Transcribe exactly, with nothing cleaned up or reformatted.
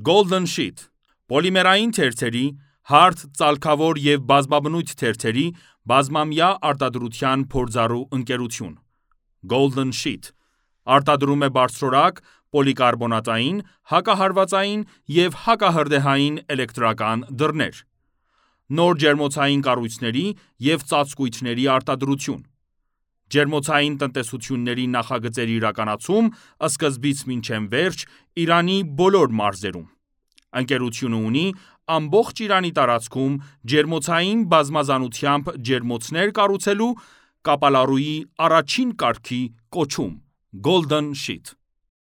Golden Sheet Պոլիմերային թերթերի, հարթ, ծալքավոր և բազմաբնույթ թերթերի բազմամյա արտադրության փորձառու ընկերություն: Golden Sheet արտադրում է բարձրորակ, պոլիկարբոնատային, հակահարվածային և հակահրդեհային էլեկտրական դռներ: Նոր ջերմոցային կառույցների և ծածկույթների արտադրություն: Ջերմոցային տնտեսությունների նախագծերի իրականացում սկզբից մինչև վերջ Իրանի բոլոր մարզերում: Ընկերությունը ունի ամբողջ Իրանի տարածքում ջերմոցային բազմազանությամբ ջերմոցներ կառուցելու կապալառուի առաջին կարգի կոչում Golden Sheet: